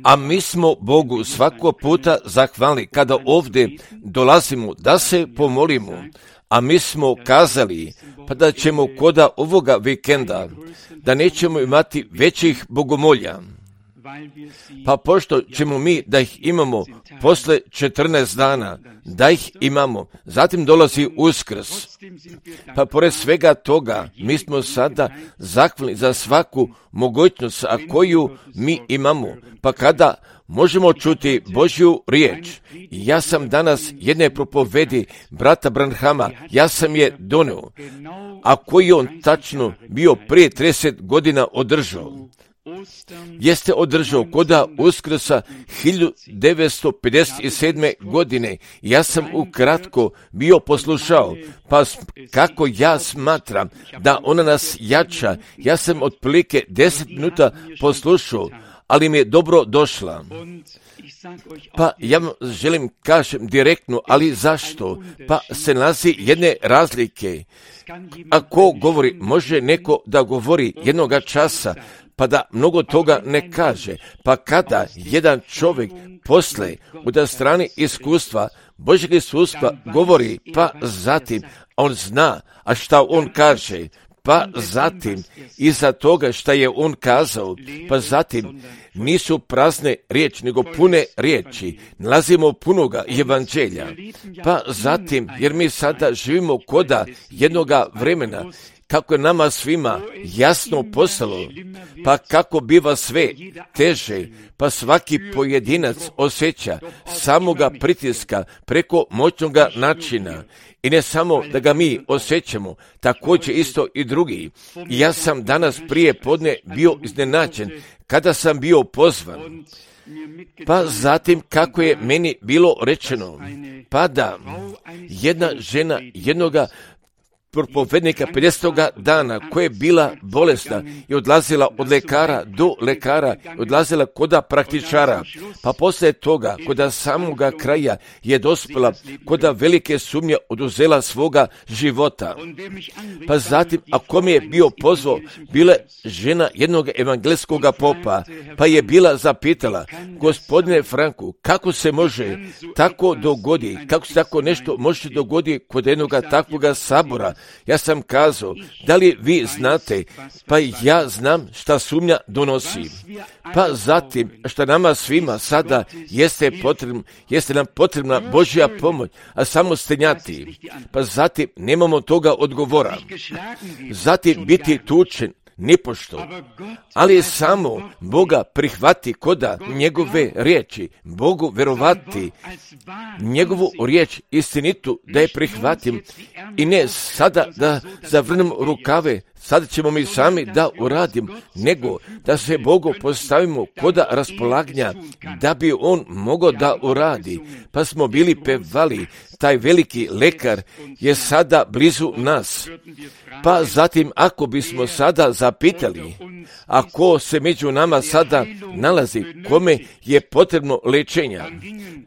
A mi smo Bogu svakog puta zahvalni kada ovdje dolazimo da se pomolimo, a mi smo kazali pa da ćemo koda ovoga vikenda, da nećemo imati većih bogomolja. Pa pošto ćemo mi da ih imamo posle 14 dana, da ih imamo, zatim dolazi Uskrs. Pa pored svega toga, mi smo sada zahvalni za svaku mogućnost koju mi imamo. Pa kada možemo čuti Božju riječ, ja sam danas jedne propovedi brata Branhama, ja sam je doneo, a koji on tačno bio prije 30 godina održao. Jeste održao koda Uskrsa 1957. godine. Ja sam ukratko bio poslušao, pa kako ja smatram da ona nas jača, ja sam otprilike 10 minuta poslušao, ali mi je dobro došla. Pa ja vam želim kažem direktno, ali zašto? Pa se nalazi jedne razlike. Ako govori, može neko da govori jednoga časa, pa da mnogo toga ne kaže. Pa kada jedan čovjek posle od strane iskustva, Božjeg iskustva govori, pa zatim on zna, a šta on kaže, pa zatim iza toga šta je on kazao, pa zatim nisu prazne riječi, nego pune riječi. Nalazimo punoga evanđelja. Pa zatim, jer mi sada živimo koda jednoga vremena, kako je nama svima jasno postalo, pa kako biva sve teže, pa svaki pojedinac osjeća samoga pritiska preko moćnoga načina. I ne samo da ga mi osjećamo, također isto i drugi. I ja sam danas prije podne bio iznenađen kada sam bio pozvan. Pa zatim kako je meni bilo rečeno, pa da jedna žena jednoga propovednika 50. dana koja je bila bolesna i odlazila od lekara do lekara, odlazila koda praktičara, pa poslije toga koda samoga kraja je dospjela koda velike sumnje oduzela svoga života. Pa zatim, ako mi je bio pozvao, bila žena jednog evangelskog popa, pa je bila zapitala, gospodine Franku, kako se može tako dogodi, kako se tako nešto može dogoditi kod jednoga takvoga sabora? Ja sam kazao, da li vi znate, pa ja znam šta sumnja donosi. Pa zatim, šta nama svima sada jeste nam potrebna Božja pomoć, a samo stenjati. Pa zatim, nemamo toga odgovora. Zatim, biti tučen, nipošto, ali samo Boga prihvati koda njegove riječi, Bogu verovati, njegovu riječ istinitu da je prihvatim i ne sada da zavrnem rukave, sada ćemo mi sami da uradim, nego da se Bogu postavimo koda raspolaganja da bi on mogao da uradi. Pa smo bili pevali, taj veliki lekar je sada blizu nas. Pa zatim ako bismo sada zapitali, ako se među nama sada nalazi kome je potrebno lečenja,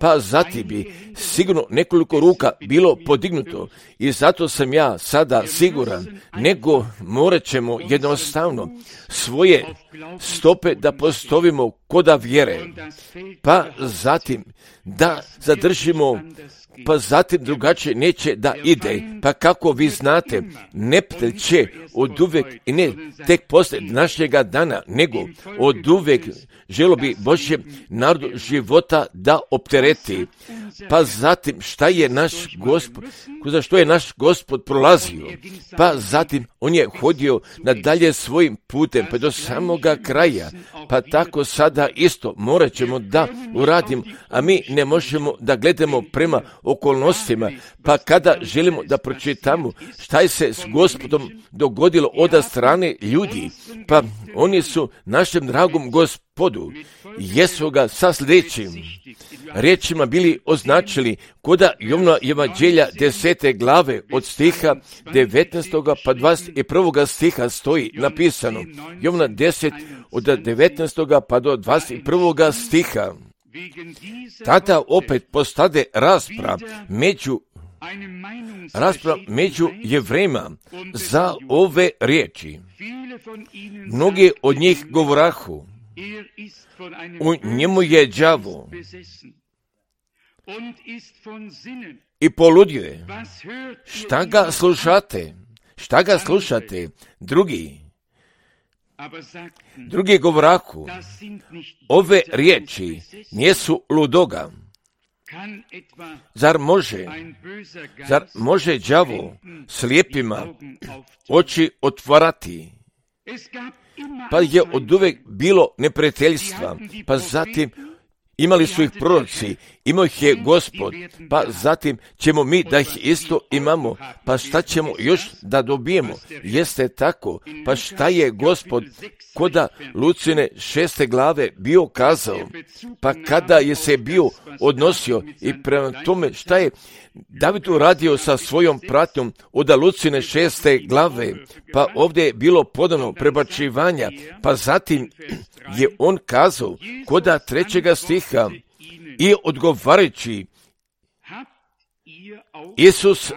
pa zatim bi sigurno nekoliko ruka bilo podignuto i zato sam ja sada siguran, nego morat ćemo jednostavno svoje stope da postavimo koda vjere, pa zatim da zadržimo, pa zatim drugačije neće da ide. Pa kako vi znate, neprijatelj će od uvijek i ne tek poslije našega dana, nego od uvijek želo bi Božje narodu života da optereti. Pa zatim šta je naš Gospod, za što je naš Gospod prolazio? Pa zatim on je hodio nadalje svojim putem pa do samoga kraja. Pa tako sada isto morat ćemo da uradimo, a mi ne možemo da gledamo prema okolnostima, pa kada želimo da pročitamo šta je se s Gospodom dogodilo od strane ljudi, pa oni su našem dragom Gospodu jesu ga sa sljedećim riječima bili označili koda Jovnova evanđelja 10. glave od stiha 19. pa 21. stiha stoji napisano. Jovna 10 od 19. pa do 21. stiha. Tada opet postade rasprav među Jevrejima za ove riječi. Mnogi od njih govorahu, U njemu je đavo i poludio je. Šta ga slušate? Šta ga slušate? Drugi govoraku, ove riječi nijesu ludoga. Zar može đavo slijepima oči otvarati? Pa je oduvek bilo neprijateljstva, pa zatim imali su ih proroci, imao ih je Gospod, pa zatim ćemo mi da ih isto imamo, pa šta ćemo još da dobijemo? Jeste tako, pa šta je Gospod koda Lucine 6. glave bio kazao, pa kada je se bio odnosio i prema tome šta je David uradio sa svojom pratnjom od Lucine 6. glave, pa ovdje je bilo podano prebačivanja, pa zatim je on kazao koda 3. stiha i odgovarajući Isus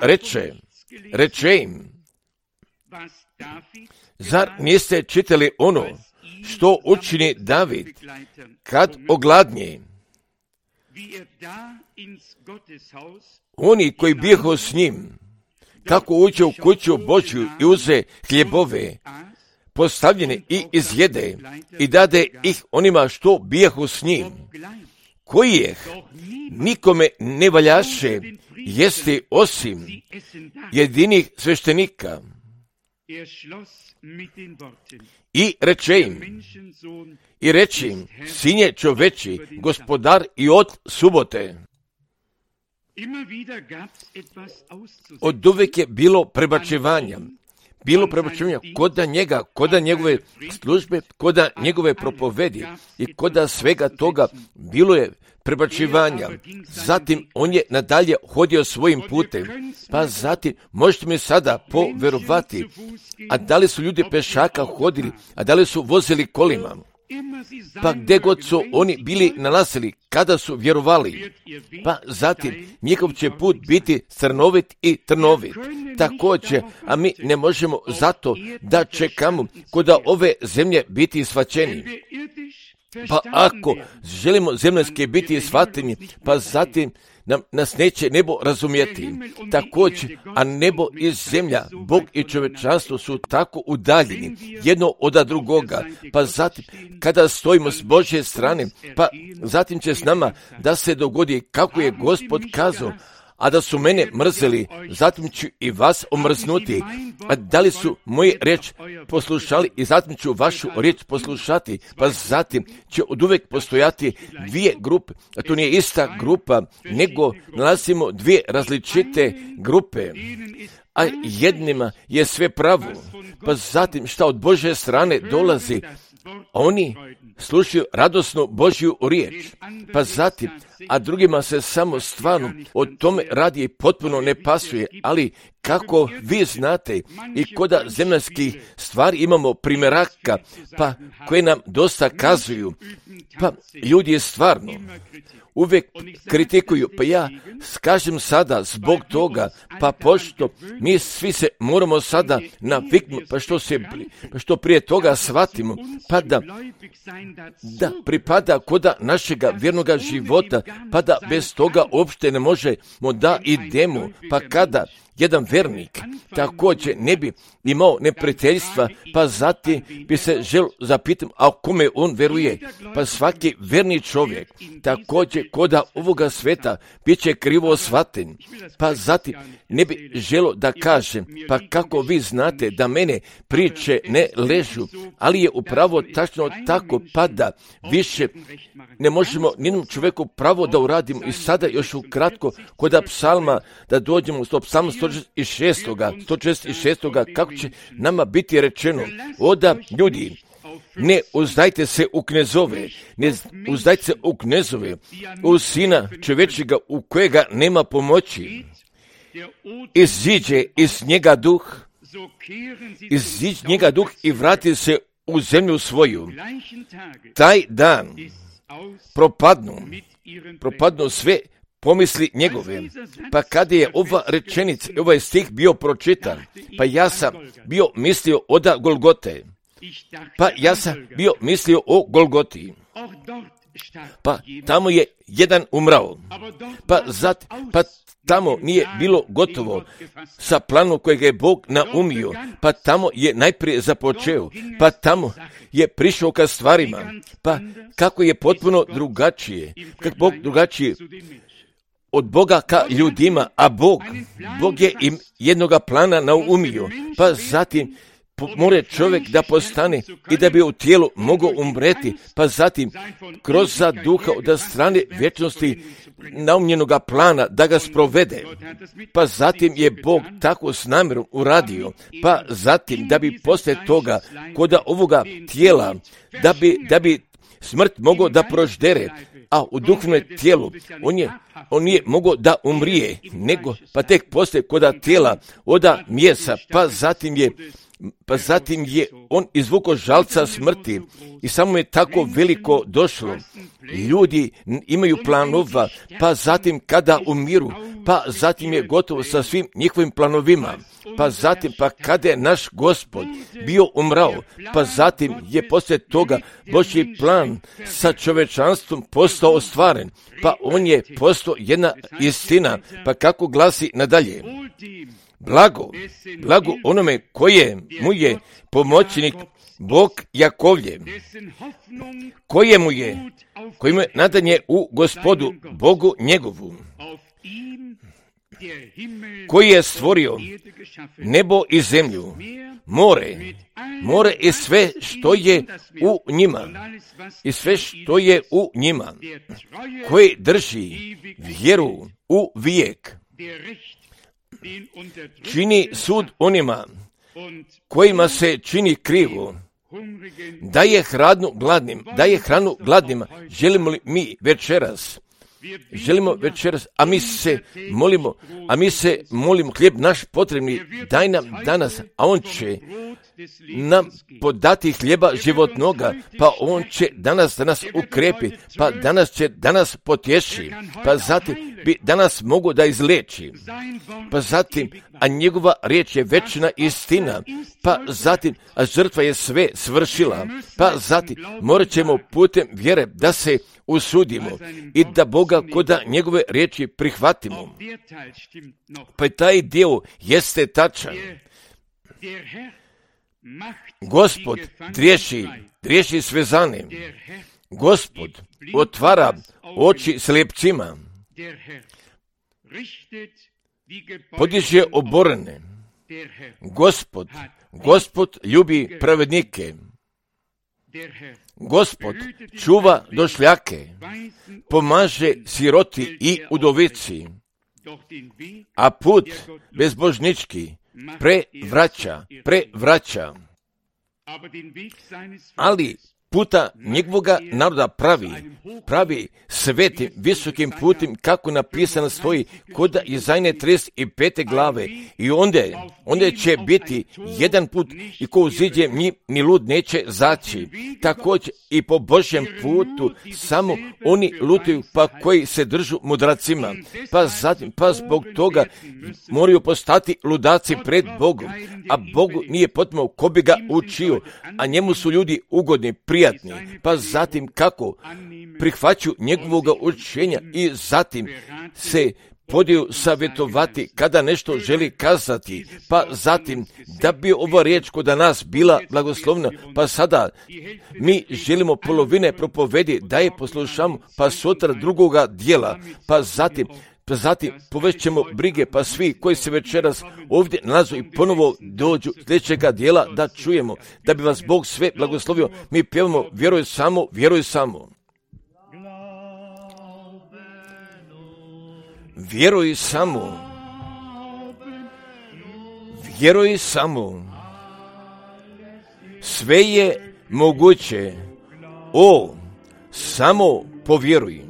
reče im, zar niste čitali ono što učini David kad ogladnje? Oni koji bijehu s njim, kako uđe u kuću Božju i uze hljebove, postavljene i izjede i dade ih onima što bijehu s njim, koji je nikome ne valjaše jesti osim jedinih sveštenika. I reče im, Sinje čoveči, gospodar i od subote. Oduvek je bilo prebačivanja. Koda njega, koda njegove službe, koda njegove propovedi i koda svega toga bilo je prebačivanja. Zatim on je nadalje hodio svojim putem. Pa zatim možete mi sada poverovati, a da li su ljudi pešaka hodili, a da li su vozili kolima? Pa gdje god su oni bili nalazili, kada su vjerovali, pa zatim njihov će put biti crnovit i trnovit. Također, a mi ne možemo zato da čekamo koda ove zemlje biti shvaćeni. Pa ako želimo zemljske biti shvateni, pa zatim nas neće nebo razumjeti. Također, a nebo i zemlja, Bog i čovječanstvo su tako udaljeni jedno od drugoga, pa zatim kada stojimo s Božje strane, pa zatim će s nama da se dogodi kako je Gospod kazao, a da su mene mrzeli, zatim ću i vas omrznuti. A da li su moju riječ poslušali i zatim ću vašu riječ poslušati, pa zatim će oduvek postojati dvije grupe, a to nije ista grupa, nego nalazimo dvije različite grupe, a jednima je sve pravo, pa zatim šta od Božje strane dolazi, oni slušaju radosnu Božju riječ, pa zatim, a drugima se samo stvarno o tome radi i potpuno ne pasuje, ali kako vi znate i koda zemaljskih stvari imamo primjeraka, pa koje nam dosta kazuju, pa ljudi stvarno uvijek kritikuju, pa ja kažem sada zbog toga, pa pošto mi svi se moramo sada naviknuti, pa što prije toga shvatimo, pa da pripada koda našega vjernoga života, pa da bez toga uopšte ne možemo da idemo, pa kada jedan vernik također ne bi imao neprijateljstva, pa zatim bi se želio zapitati, a kome on veruje? Pa svaki verni čovjek također koda ovoga sveta bit će krivo shvaten, pa zatim ne bi želio da kažem, pa kako vi znate da mene priče ne ležu, ali je upravo tačno tako, pa da više ne možemo nijednom čovjeku pravo da uradimo. I sada još ukratko koda psalma da dođemo do psalma 146. kako će nama biti rečeno, oda ljudi, ne uzdajte se u knezove, u sina čovječega u kojega nema pomoći. Iziđe iz njega duh i vrati se u zemlju svoju. Taj dan propadnu sve pomisli njegove. Pa kada je ova rečenica, ovaj stih bio pročitan, pa ja sam bio mislio oda Golgote. Pa ja sam bio mislio o Golgoti. Pa tamo je jedan umrao. Pa tamo nije bilo gotovo sa planom kojeg je Bog naumio. Pa tamo je najprije započeo. Pa tamo je prišao ka stvarima. Pa kako je potpuno drugačije. Kako Bog drugačije od Boga ka ljudima. A Bog je im jednoga plana naumio. Pa zatim mora čovjek da postane i da bi u tijelu mogao umreti, pa zatim kroz za duha od strane vječnosti naumljenoga plana da ga sprovede. Pa zatim je Bog tako s namjerom uradio, pa zatim da bi poslije toga kod ovoga tijela, da bi smrt mogao da proždere, a u duhovnom tijelu on je mogao da umrije, nego pa tek poslije koda tijela oda mjesa, pa zatim je on izvukao žalca smrti i samo je tako veliko došlo. Ljudi imaju planova, pa zatim kada umiru, pa zatim je gotovo sa svim njihovim planovima. Pa zatim, pa kada je naš Gospod bio umrao, pa zatim je poslije toga Božji plan sa čovečanstvom postao ostvaren, pa on je postao jedna istina, pa kako glasi nadalje. Blago onome koje mu je pomoćnik Bog Jakovljev, kojemu je nadanje u Gospodu Bogu njegovu, koji je stvorio nebo i zemlju, more i sve što je u njima, koji drži vjeru u vijek, čini sud onima kojima se čini krivo, daje hranu gladnima. Želimo li mi večeras, a mi se molimo, hljeb naš potrebni, daj nam danas, a on će nam podati hljeba životnoga, pa on će danas ukrepi, pa danas potješi, pa zatim bi danas mogu da izleči, pa zatim, a njegova riječ je večna istina, pa zatim, a žrtva je sve svršila, pa zatim morat ćemo putem vjere da se usudimo i da Boga koda njegove riječi prihvatimo. Pa taj dio jeste tačan. Gospod driješi svezane. Gospod otvara oči slijepcima. Podiže oborene. Gospod ljubi pravednike. Gospod čuva došljake, pomaže siroti i udovici, a put bezbožnički prevraća. Ali puta njegovoga naroda pravi svetim, visokim putem, kako napisano stoji kod Izajne 35. glave. I onda će biti jedan put i ko uziđe ni lud neće zaći. Također i po Božjem putu samo oni lutaju, pa koji se držu mudracima. Pa zbog toga moraju postati ludaci pred Bogom, a Bogu nije potrebno ko bi ga učio, a njemu su ljudi ugodni, prijatni. Pa zatim kako prihvaću njegovoga učenja i zatim se podiju savjetovati kada nešto želi kazati, pa zatim da bi ova riječ kod nas bila blagoslovna, pa sada mi želimo polovine propovedi da je poslušamo, pa sutra drugoga dijela, pa zatim povest ćemo brige, pa svi koji se večeras ovdje nalazu i ponovo dođu sljedećega dijela da čujemo, da bi vas Bog sve blagoslovio. Mi pjevamo vjeruj samo. Vjeruj samo. Sve je moguće. Samo povjeruj.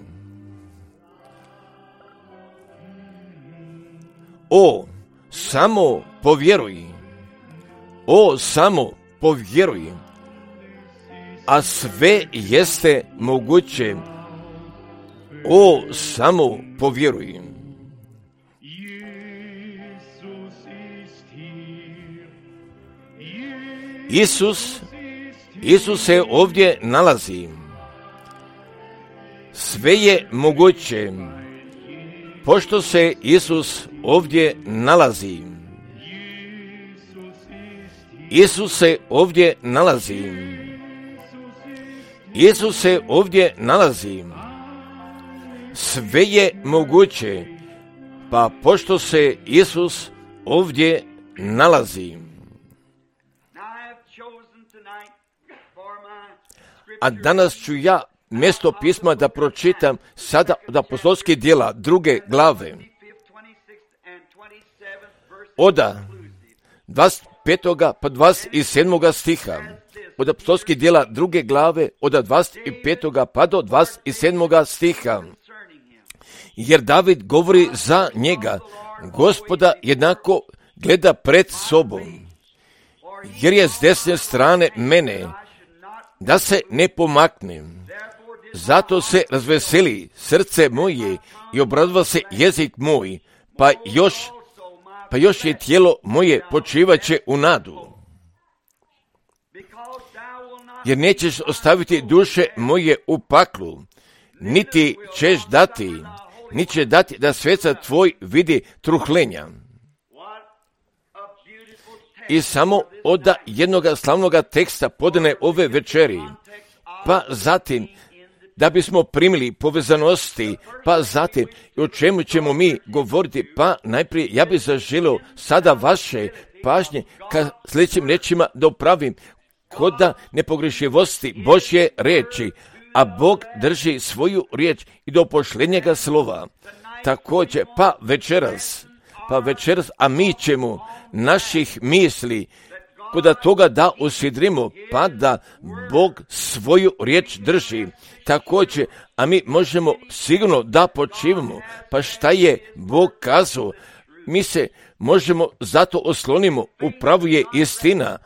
Samo povjeruj. A sve jeste moguće. Samo povjeruj. Isus se ovdje nalazi. Sve je moguće, pošto se Isus ovdje nalazi. Isus se ovdje nalazi. Isus se ovdje nalazi. Sve je moguće, pa pošto se Isus ovdje nalazi. A danas ću ja mjesto pisma da pročitam sada od apostolskih djela 2. glave. Od 25. pa 27. stiha. Od apostolskih djela 2. glave od 25. pa do 27. stiha. Jer David govori za njega, Gospoda jednako gleda pred sobom, jer je s desne strane mene, da se ne pomaknem. Zato se razveseli srce moje i obradova se jezik moj, pa još je tijelo moje počivaće u nadu. Jer nećeš ostaviti duše moje u paklu, niti ćeš dati da sveca tvoj vidi truhlenja. I samo od jednog slavnog teksta podane ove večeri, pa zatim da bismo primili povezanosti, pa zatim o čemu ćemo mi govoriti, pa najprije ja bih zaželio sada vaše pažnje ka sljedećim rečima da upravim koda nepogrešivosti Božje riječi, a Bog drži svoju riječ i do pošljenjega slova. Također, pa večeras, a mi ćemo naših misli koda toga da usidrimo, pa da Bog svoju riječ drži. Također, a mi možemo sigurno da počivamo, pa šta je Bog kazao, mi se možemo zato oslonimo, upravo je istina,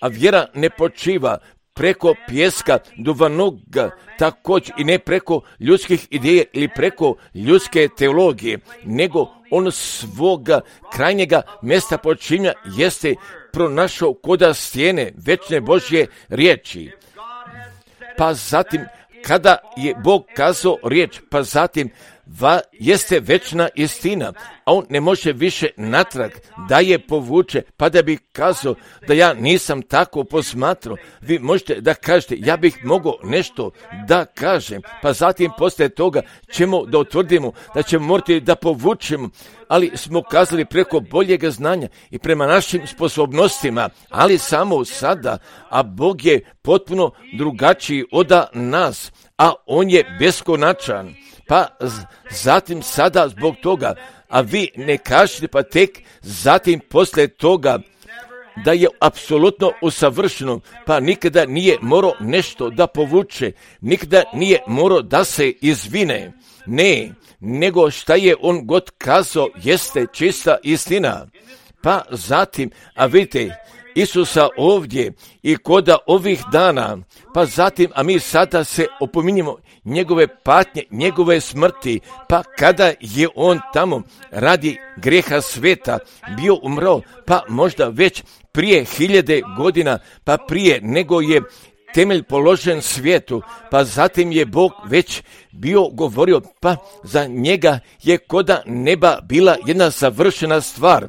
a vjera ne počiva preko pjeska duvanoga, također i ne preko ljudskih ideja ili preko ljudske teologije, nego on svoga krajnjega mjesta počinja jeste pronašao koda stijene večne Božje riječi. Pa zatim, kada je Bog kazao riječ, pa zatim jeste večna istina, a on ne može više natrag da je povuče, pa da bi kazao da ja nisam tako posmatrao. Vi možete da kažete, ja bih mogao nešto da kažem, pa zatim poslije toga ćemo da utvrdimo da ćemo morati da povučemo, ali smo kazali preko boljega znanja i prema našim sposobnostima, ali samo sada, a Bog je potpuno drugačiji od nas, a on je beskonačan. Pa zatim sada zbog toga, a vi ne kažete pa tek zatim poslije toga da je apsolutno usavršeno, pa nikada nije morao nešto da povuče, nikada nije morao da se izvine. Ne, nego šta je on god kazao jeste čista istina. Pa zatim, a vidite, Isusa ovdje i koda ovih dana, pa zatim, a mi sada se opominjemo njegove patnje, njegove smrti, pa kada je on tamo radi grijeha sveta bio umro, pa možda već prije 1000 godina, pa prije nego je temelj položen svijetu, pa zatim je Bog već bio govorio, pa za njega je koda neba bila jedna savršena stvar.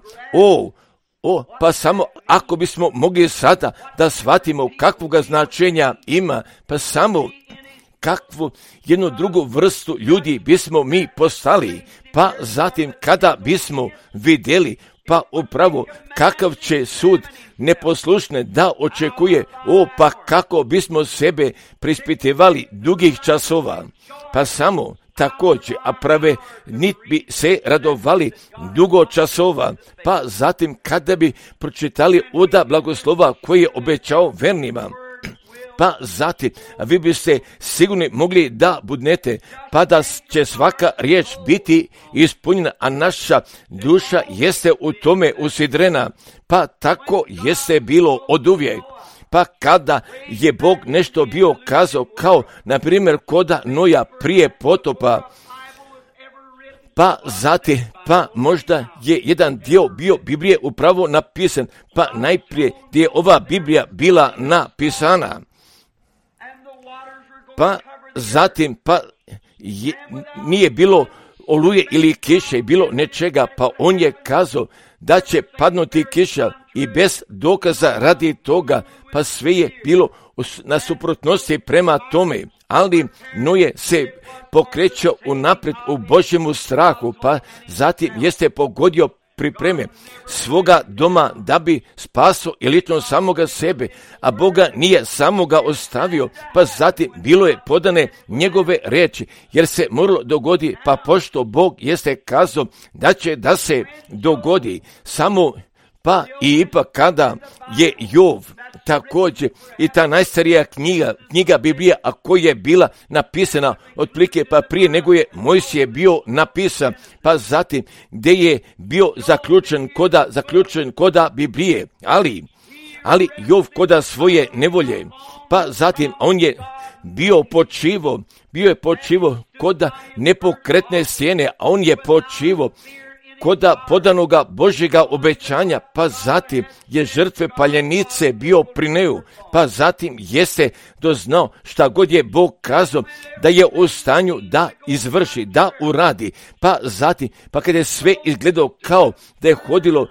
Pa samo ako bismo mogli sada da shvatimo kakvoga značenja ima, pa samo kakvu jednu drugu vrstu ljudi bismo mi postali, pa zatim kada bismo vidjeli, pa upravo kakav će sud neposlušne da očekuje, pa kako bismo sebe prispitivali dugih časova, pa samo također, a prave nit bi se radovali dugo časova, pa zatim kada bi pročitali oda blagoslova koji je obećao vernima, pa zatim vi biste sigurno mogli da budnete, pa da će svaka riječ biti ispunjena, a naša duša jeste u tome usidrena, pa tako jeste bilo oduvijek. Pa kada je Bog nešto bio kazao, kao na primjer koda Noja prije potopa, Pa zatim, pa možda je jedan dio bio Biblije upravo napisan, pa najprije gdje je ova Biblija bila napisana. Pa zatim, pa nije bilo oluje ili kiše, bilo nečega, pa on je kazao da će padnuti kiša i bez dokaza radi toga, pa sve je bilo na suprotnosti prema tome. Ali Noje se pokrećao unaprijed u Božjemu strahu, pa zatim jeste pogodio pripreme svoga doma da bi spasao i lično samoga sebe, a Boga nije samoga ostavio, pa zatim bilo je podane njegove riječi, jer se moralo dogodi, pa pošto Bog jeste kazao da će da se dogodi samo. Pa i ipak kada je Jov također i ta najstarija knjiga Biblija, a koja je bila napisana otprilike pa prije nego je Mojsije bio napisan, pa zatim gdje je bio zaključen koda Biblije, ali Jov koda svoje nevolje, pa zatim on je bio je počivo koda nepokretne stijene, a on je počivo koda podanoga Božjega obećanja, pa zatim je žrtve paljenice bio prineju, pa zatim jeste doznao šta god je Bog kazao da je u stanju da izvrši, da uradi, pa zatim, pa kada je sve izgledao kao da je hodilo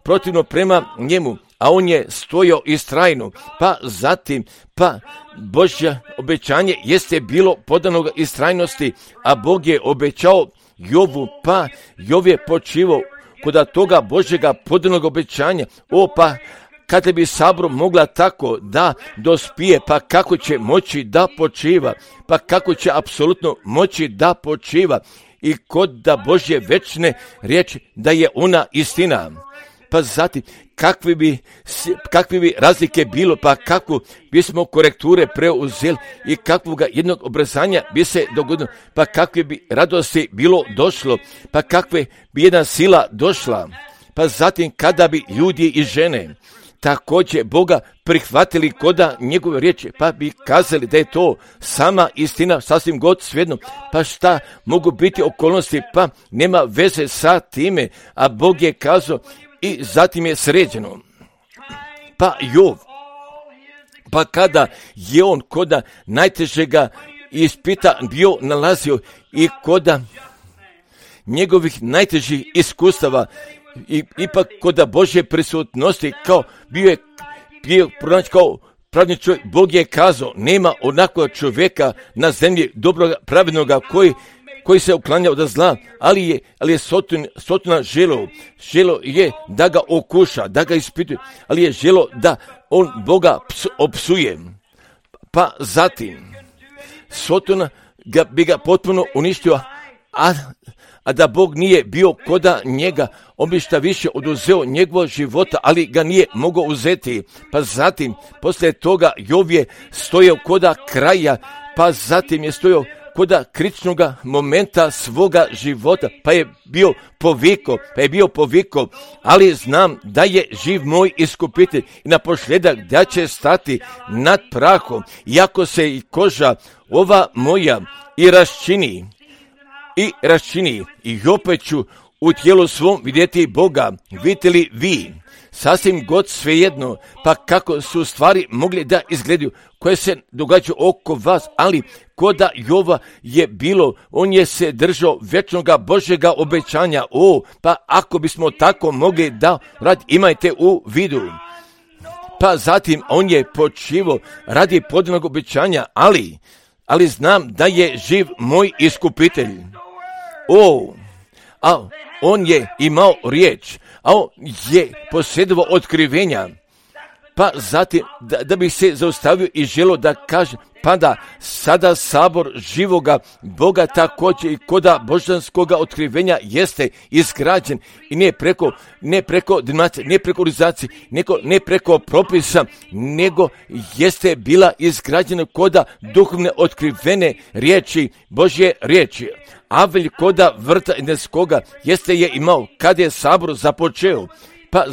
protivno prema njemu, a on je stojao istrajno, pa zatim, pa Božje obećanje jeste bilo podanoga istrajnosti, a Bog je obećao Jovu, pa Jov je počivao kod toga Božjega podanog obećanja. Pa kada bi sabor mogla tako da dospije, pa kako će moći da počiva, pa kako će apsolutno moći da počiva i kod da Božje večne riječi da je ona istina. Pa zatim, kakve bi razlike bilo, pa kako bismo korekture preuzeli i kakvoga jednog obrazanja bi se dogodilo, pa kakve bi radosti bilo došlo, pa kakve bi jedna sila došla, pa zatim kada bi ljudi i žene također Boga prihvatili koda njegove riječi, pa bi kazali da je to sama istina, sasvim god svejedno, pa šta mogu biti okolnosti, pa nema veze sa time, a Bog je kazao i zatim je sređeno. Pa Jov, pa kada je on koda najtežega ispita bio nalazio i koda njegovih najtežih iskustava, i ipak koda Božje prisutnosti, kao bio pronaći kao pravedni čovjek, Bog je kazao, nema onakvog čovjeka na zemlji dobroga, pravednoga, koji se uklanja od zla, ali je Sotona želo je da ga okuša, da ga ispituje, ali je želo da on Boga opsuje. Pa zatim, Sotona bi ga potpuno uništio, a da Bog nije bio koda njega, on bi šta više oduzeo njegovog života, ali ga nije mogao uzeti. Pa zatim, poslije toga, Jov je stojao koda kraja, pa zatim je stojao koda kritičnoga momenta svoga života, pa je bio poviko, ali znam da je živ moj iskupitelj i na posljedak da će stati nad prahom, iako se i koža ova moja i raščini i opet ću u tijelu svom vidjeti Boga. Vidite li vi? Sasvim god svejedno, pa kako su stvari mogli da izgledaju, koje se događaju oko vas, ali koda Jova je bilo, on je se držao večnoga Božjega obećanja. Pa ako bismo tako mogli da radi, imajte u vidu. Pa zatim on je počivao radi podanog obećanja, ali znam da je živ moj iskupitelj. A on je imao riječ, a on je posjedovao otkrivenja, pa zatim da bi se zaustavio i želio da kaže, pa da sada sabor živoga Boga također i koda božanskoga otkrivenja jeste izgrađen i ne preko denominacije, ne preko organizacije, ne preko propisa, nego jeste bila izgrađena koda duhovne otkrivene riječi, Božje riječi. Avelj koda vrta Edenskoga jeste je imao kad je sabor započeo, Pa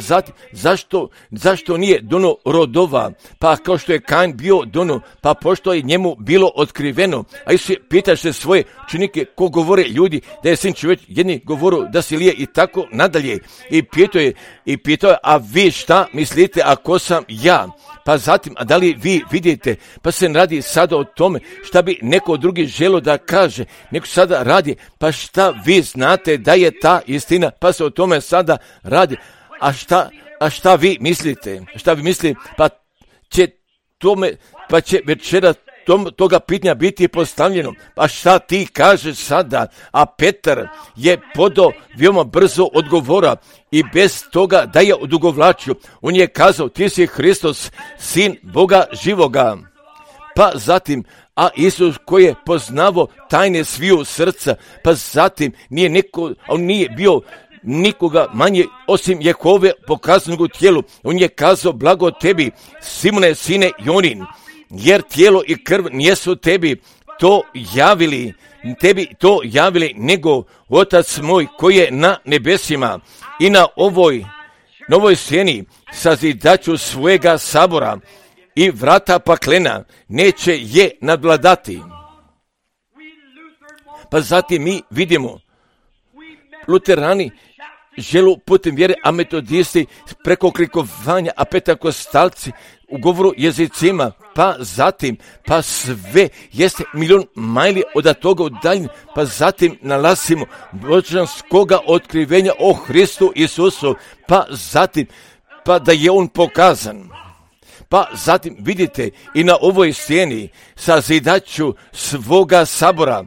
zašto nije dono rodova? Pa kao što je Kain bio dono, pa pošto je njemu bilo otkriveno. A Isus pitaš se svoje učenike ko govore ljudi da je sin čovjek, jedni govoru da si lije i tako nadalje. I pitao je, a vi šta mislite ako sam ja? Pa zatim, a da li vi vidite, pa se radi sada o tome šta bi neko drugi želio da kaže, neko sada radi, pa šta vi znate da je ta istina, pa se o tome sada radi, a šta vi mislite, pa će večera toga pitanja biti postavljeno, pa šta ti kažeš sada? A Petar je podao veoma brzo odgovora i bez toga da je odugovlačio, on je kazao, ti si Hristos, sin Boga živoga. Pa zatim, a Isus koji je poznavao tajne sviju srca, pa zatim on nije bio nikoga manje osim Jehove pokazanog u tijelu. On je kazao, blago tebi, Simone, sine Jonin, jer tijelo i krv nijesu tebi to javili, nego Otac moj koji je na nebesima. I na ovoj sceni sazidaću svojega sabora i vrata paklena neće je nadvladati. Pa zatim mi vidimo luterani želu putem vjere, a metodisti preko krikovanja, a pentekostalci u govoru jezicima, pa zatim, pa sve jeste milion majli od toga udaljen, pa zatim nalazimo božanskoga otkrivenja o Hristu Isusu, pa zatim, pa da je on pokazan. Pa zatim vidite i na ovoj sceni sazidaću svoga sabora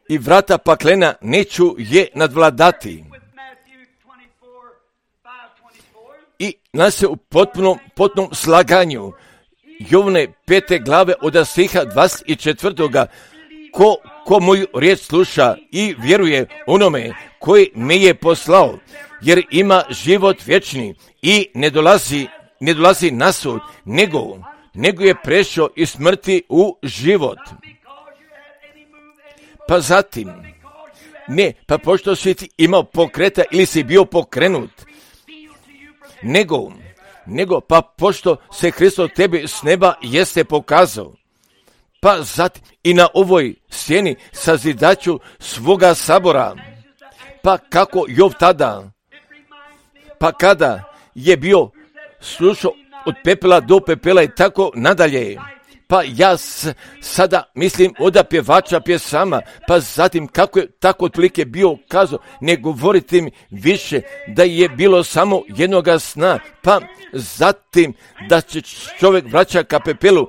i vrata paklena neću je nadvladati. I nas se u potpunom slaganju Jovane 5. glave od stiha 24. Ko moju riječ sluša i vjeruje onome koji me je poslao, jer ima život vječni i ne dolazi na sud, nego je prešao iz smrti u život. Pa zatim, pa pošto si ti imao pokreta ili si bio pokrenut, nego pa pošto se Hristos tebi s neba jeste pokazao, pa zatim i na ovoj sceni sazidaću svoga sabora, pa kako Jov tada, pa kada je bio slušao od pepela do pepela i tako nadalje. Pa ja sada mislim od pjevača pjesama, pa zatim kako je tako otprilike bio kazao, ne govorite mi više da je bilo samo jednoga sna, pa zatim da će čovjek vraća ka pepelu,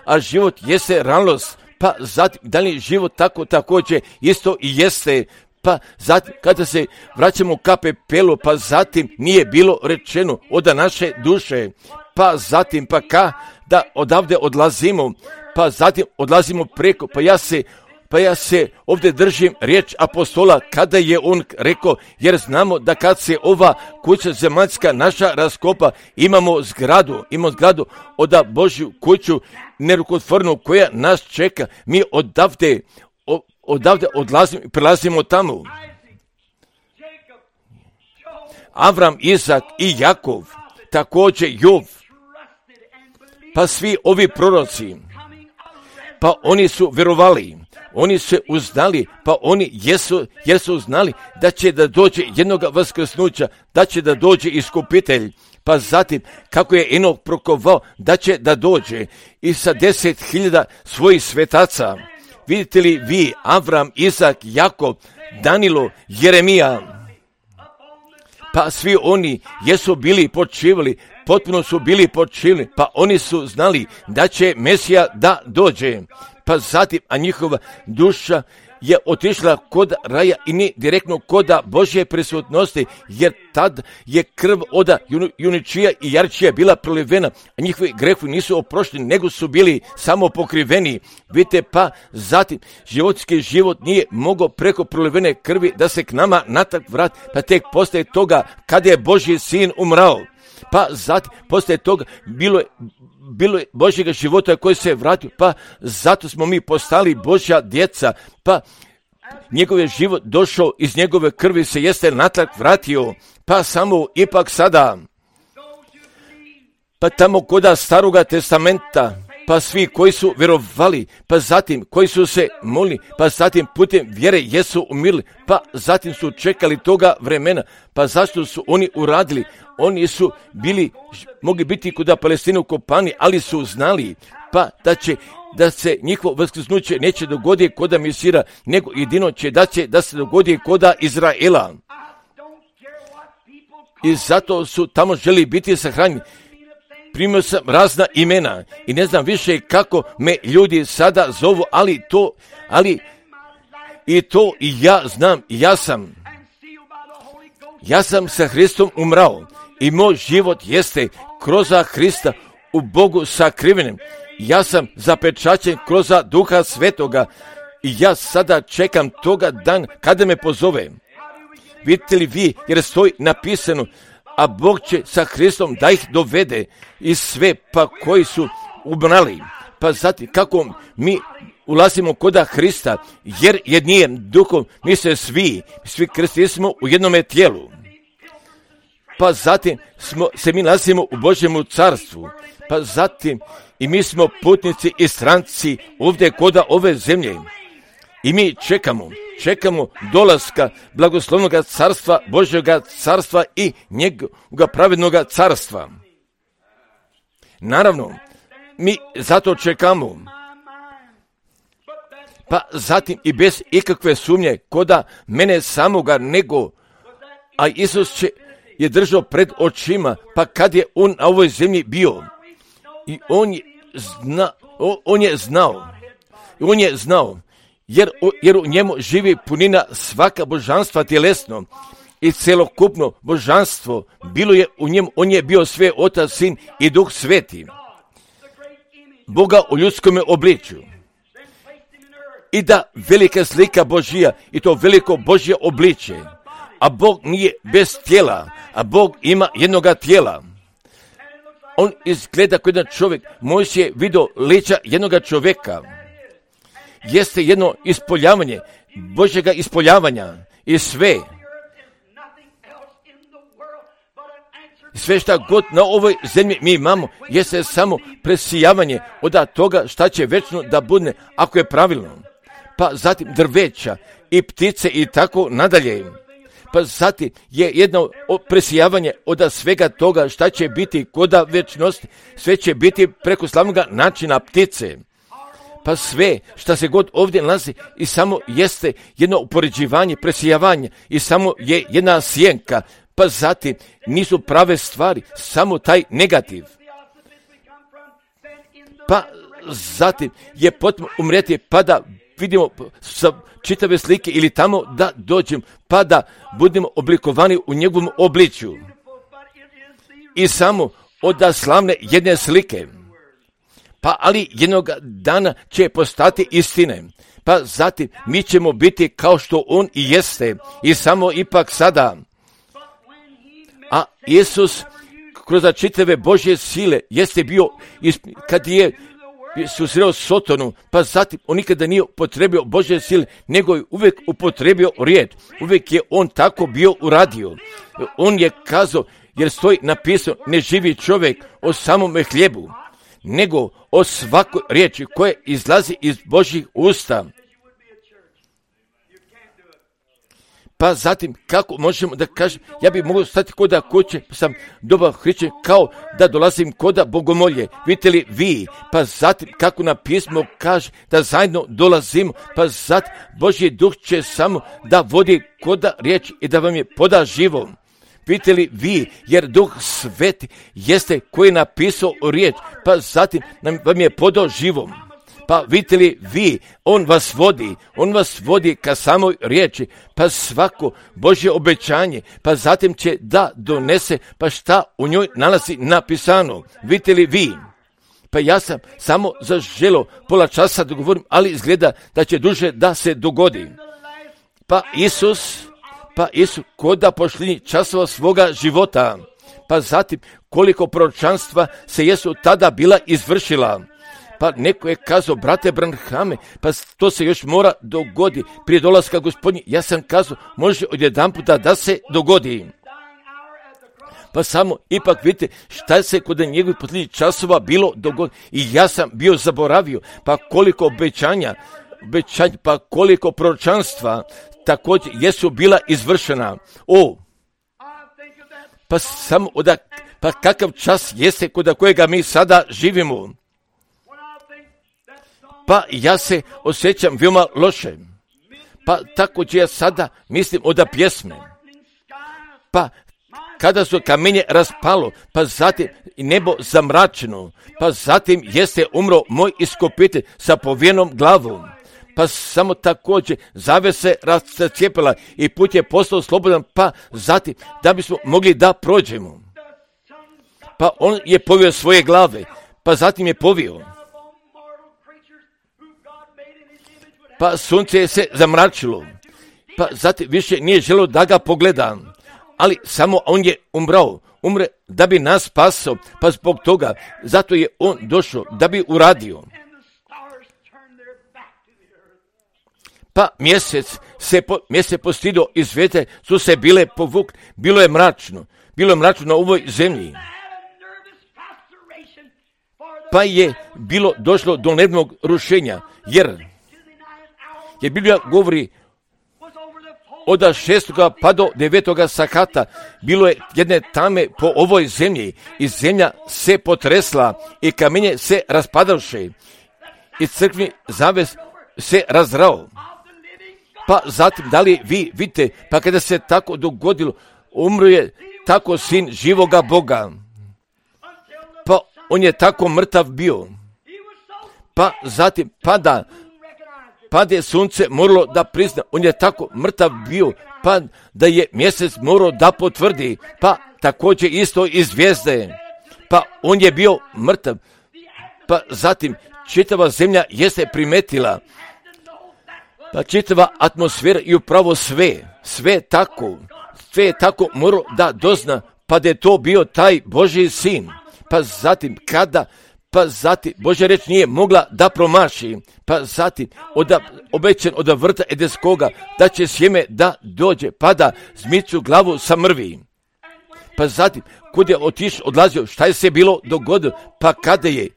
a život jeste realnost, pa zatim da li život tako također isto i jeste. Pa zatim kada se vraćamo ka pepelu, pa zatim nije bilo rečeno od naše duše, pa zatim da odavde odlazimo, pa zatim odlazimo preko, pa ja se ovdje držim riječ apostola kada je on rekao, jer znamo da kad se ova kuća zemaljska naša raskopa, imamo zgradu od Božju kuću nerukotvornu koja nas čeka, mi odavde odlazimo i prelazimo tamo. Avram, Izak i Jakov, također Jov, pa svi ovi proroci, pa oni su vjerovali, oni se uzdali, pa oni jesu znali da će da dođe jednoga vaskrsnuća, da će da dođe iskupitelj, pa zatim kako je Enok prokovao da će da dođe i sa 10.000 svojih svetaca. Vidite li vi, Avram, Izak, Jakov, Danilo, Jeremija, pa svi oni jesu bili počivali, potpuno su bili počivali, pa oni su znali da će Mesija da dođe. Pa zatim, a njihova duša je otišla kod raja i ne direktno kod Božje prisutnosti, jer tad je krv od juničija i jarčija bila prolivena, a njihovi grehovi nisu oprošteni, nego su bili samo pokriveni. Vidite, pa zatim životski život nije mogao preko prolivene krvi da se k nama natrag vrati, pa tek poslije toga kada je Božji sin umrao. Pa zatim, poslije toga bilo je Božjega života koji se vratio, pa zato smo mi postali Božja djeca, pa njegov je život došao, iz njegove krvi se jeste natrag vratio, pa samo ipak sada, pa tamo koda Staroga testamenta, pa svi koji su vjerovali, pa zatim koji su se molili, pa zatim putem vjere jesu umirili, pa zatim su čekali toga vremena, pa zašto su oni uradili? Oni su mogli biti kuda Palestinu kopani, ali su znali, pa da se njihovo vaskrsnuće neće dogoditi koda Mesira, nego jedino da se dogodi koda Izraela. I zato su tamo želi biti sahranjeni. Primio sam razna imena i ne znam više kako me ljudi sada zovu, ali ja znam, ja sam sa Hristom umrao i moj život jeste kroz Hrista u Bogu sakrivenim. Ja sam zapečaćen kroz Duha Svetoga i ja sada čekam toga dan kada me pozove. Vidite li vi, jer stoji napisano, a Bog će sa Hristom da ih dovede i sve pa koji su umrali. Pa zatim kako mi ulazimo koda Hrista, jer jednim duhom mi se svi krstili smo u jednome tijelu. Pa zatim mi nalazimo u Božjemu carstvu. Pa zatim i mi smo putnici i stranci ovdje koda ove zemlje. I mi čekamo dolaska blagoslovnog carstva, Božjega carstva i njegovog pravednog carstva. Naravno, mi zato čekamo. Pa zatim i bez ikakve sumnje koda mene samoga nego, a Isus je držao pred očima, pa kad je on na ovoj zemlji bio. I on je znao, jer u njemu živi punina svaka božanstva tjelesno i celokupno božanstvo bilo je u njemu, on je bio sve Otac, Sin i Duh Sveti, Boga u ljudskome obličju. I da velika slika Božija i to veliko Božje obličje, a Bog nije bez tijela, a Bog ima jednoga tijela. On izgleda kao jedan čovjek, Mojsije je vidio lica jednoga čovjeka. Jeste jedno ispoljavanje, Božjega ispoljavanja i sve šta god na ovoj zemlji mi imamo, jeste samo presijavanje od toga šta će večno da bude, ako je pravilno. Pa zatim drveća i ptice i tako nadalje. Pa zatim je jedno presijavanje od svega toga šta će biti koda večnosti, sve će biti preko slavnog načina ptice. Pa sve šta se god ovdje nalazi i samo jeste jedno upoređivanje, presijavanje i samo je jedna sjenka. Pa zatim nisu prave stvari, samo taj negativ. Pa zatim je potrebno umrijeti pa da vidimo sa čitave slike ili tamo da dođem pa da budemo oblikovani u njegovom obličju. I samo od slavne jedne slike. Pa ali jednog dana će postati istine. Pa zatim mi ćemo biti kao što on i jeste. I samo ipak sada. A Isus kroz čitave Božje sile jeste bio, kad je susreo Sotonu, pa zatim on nikada nije upotrebio Božje sile, nego je uvijek upotrebio riječ. Uvijek je on tako bio uradio. On je kazao, jer stoji napisano, ne živi čovjek o samome hljebu, nego o svakoj riječi koja izlazi iz Božjih usta. Pa zatim, kako možemo da kažem, ja bih mogao stati koda kuće, pa sam dobar hrišćan, kao da dolazim koda bogomolje. Vidite li vi, pa zatim, kako na pismo kaže, da zajedno dolazimo, pa zatim, Božji duh će samo da vodi koda riječ i da vam je poda živo. Vidite li vi, jer Duh Sveti jeste koji je napisao riječ, pa zatim vam je podao živom. Pa vidite li vi, on vas vodi ka samoj riječi, pa svako Božje obećanje, pa zatim će da donese, pa šta u njoj nalazi napisano. Vidite li vi, pa ja sam samo zaželio pola časa da govorim, ali izgleda da će duže da se dogodi. Pa Isus koda pošlinji časova svoga života, pa zatim koliko proročanstva se jesu tada bila izvršila. Pa neko je kazao, brate Branhame, pa to se još mora dogodi prije dolaska Gospodnji. Ja sam kazao, može odjedanputa da se dogodi. Pa samo ipak vidite šta se kod njegovih posljednjih časova bilo dogodilo. I ja sam bio zaboravio, pa koliko obećanja, pa koliko proročanstva također jesu bila izvršena. Pa samo pa kakav čas jeste kod kojega mi sada živimo. Pa ja se osjećam veoma loše. Pa također ja sada mislim od pjesme. Pa kada su kamenje raspalo, pa zatim nebo zamračeno, pa zatim jeste umro moj iskupitelj sa povijenom glavom. Pa samo također zavese rascijepila i put je postao slobodan, pa zatim da bismo mogli da prođemo. Pa on je povio svoje glave, pa zatim je povio. Pa sunce je se zamračilo, pa zatim više nije želio da ga pogleda, ali samo on je umre da bi nas spasao, pa zbog toga, zato je on došao da bi uradio. Pa mjesec se postido i zvijezde su se bile povukli, bilo je mračno na ovoj zemlji. Pa je bilo došlo do nervnog rušenja, jer Biblija govori od 6. pa do 9. sakata bilo je jedne tame po ovoj zemlji i zemlja se potresla i kamenje se raspadavše i crkveni zaves se razrao. Pa zatim, da li vi vidite, pa kada se tako dogodilo, umro je tako sin živoga Boga. Pa on je tako mrtav bio. Pa zatim pade sunce moralo da prizna, on je tako mrtav bio, pa da je mjesec morao da potvrdi, pa također isto i zvijezde. Pa on je bio mrtav, pa zatim čitava zemlja jeste primetila, pa čitava atmosfera i upravo sve je tako morao da dozna, pa da je to bio taj Božji sin. Pa zatim Božja reč nije mogla da promaši, pa zatim obećan od vrta Edenskoga da će sjeme da dođe, pa da zmicu glavu sa mrvi. Pa zatim, kud je odlazio, šta je se bilo dogodilo, pa kada je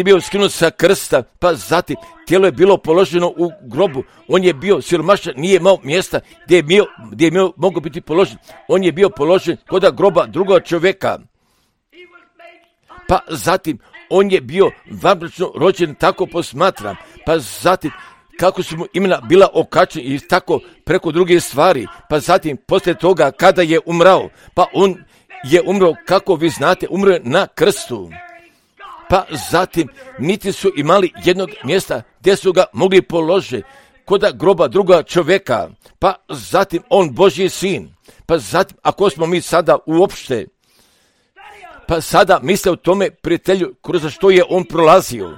bio skinut sa krsta, pa zatim tijelo je bilo položeno u grobu, on je bio siromašan, nije imao mjesta gdje je mogao biti položen, on je bio položen kod groba drugog čovjeka. Pa zatim, on je bio vanbračno rođen, tako posmatram, pa zatim, kako su mu imena bila okačena i tako preko drugih stvari, pa zatim, poslije toga, kada je umrao, pa on je umro, kako vi znate, umro je na krstu. Pa zatim, niti su imali jednog mjesta gdje su ga mogli položiti, kod groba druga čovjeka, pa zatim, on Božji sin, pa zatim, ako smo mi sada uopšte, pa sada misle o tome prijatelju kroz što je on prolazio.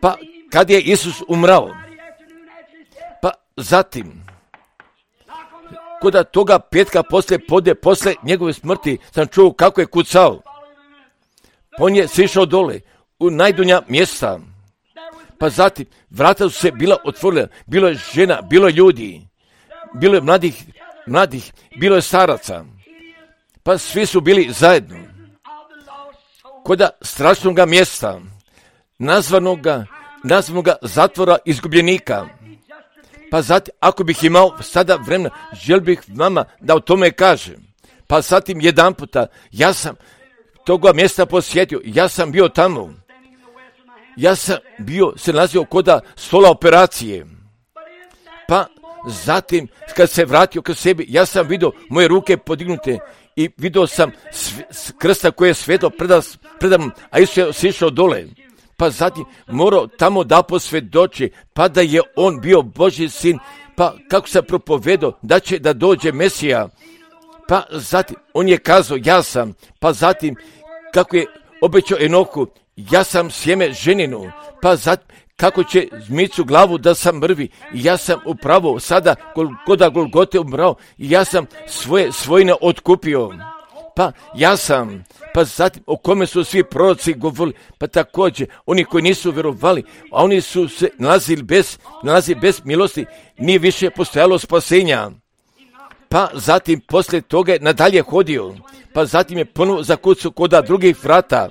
Pa kad je Isus umrao, pa zatim, kod toga petka posle njegove smrti sam čuo kako je kucao. On je sišao dole u najdonja mjesta. Pa zatim vrata su se bila otvorila, bilo je žena, bilo je ljudi, bilo je mladih, bilo je staraca. Pa svi su bili zajedno. Kod strašnog mjesta, nazvanoga zatvora izgubljenika. Pa zatim, ako bih imao sada vremena, želio bih vama da o tome kažem. Pa zatim jedan puta, ja sam toga mjesta posjetio, ja sam bio tamo. Ja sam se nalazio kod stola operacije. Pa zatim, kad se vratio k sebi, ja sam vidio moje ruke podignute i vidio sam krsta koje je svetlo predam, a Isus je sišao dole. Pa zatim morao tamo da posvjedoči, pa da je on bio Božji sin, pa kako sam propovedao da će da dođe Mesija. Pa zatim on je kazao, ja sam, pa zatim kako je obećao Enoku, ja sam sjeme ženinu, pa zatim kako će zmicu glavu da sam mrvi, i ja sam upravo sada kod Golgote umrao, i ja sam svoje svojine otkupio. Pa ja sam, pa zatim o kome su svi proroci govorili, pa također oni koji nisu vjerovali, a oni su se nalazili bez milosti, nije više postojalo spasenja. Pa zatim poslije toga je nadalje hodio, pa zatim je ponovo zakucao kod drugih vrata.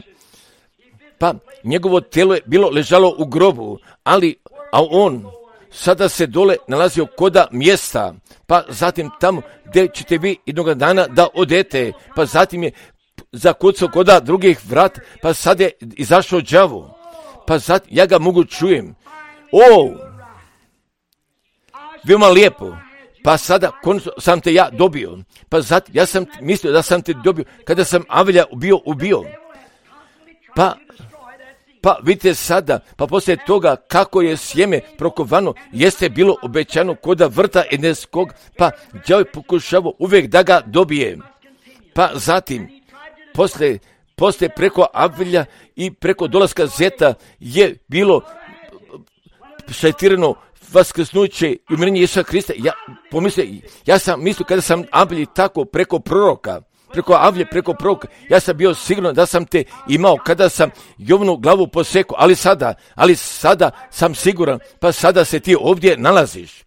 Pa njegovo tijelo je bilo ležalo u grobu, a on sada se dole nalazio koda mjesta, pa zatim tamo gdje ćete vi jednog dana da odete, pa zatim je zakucao koda drugih vrat, pa sad je izašao đavo, pa zatim ja ga mogu čujem. Veoma lijepo. Pa sada konačno sam te ja dobio. Pa zatim ja sam mislio da sam te dobio kada sam Avelja ubio. Pa vidite sada, pa poslije toga kako je sjeme prokovano, jeste bilo obećano koda vrta Edenskog, pa đavo je pokušavao uvijek da ga dobije. Pa zatim, poslije preko Avelja i preko dolaska Zeta je bilo šajtirano vaskrsnuće i umirenje Isusa Krista. Ja sam mislio kada sam Avelji tako preko proroka, ja sam bio siguran da sam te imao kada sam Jovanu glavu posekao, ali sada sam siguran, pa sada se ti ovdje nalaziš.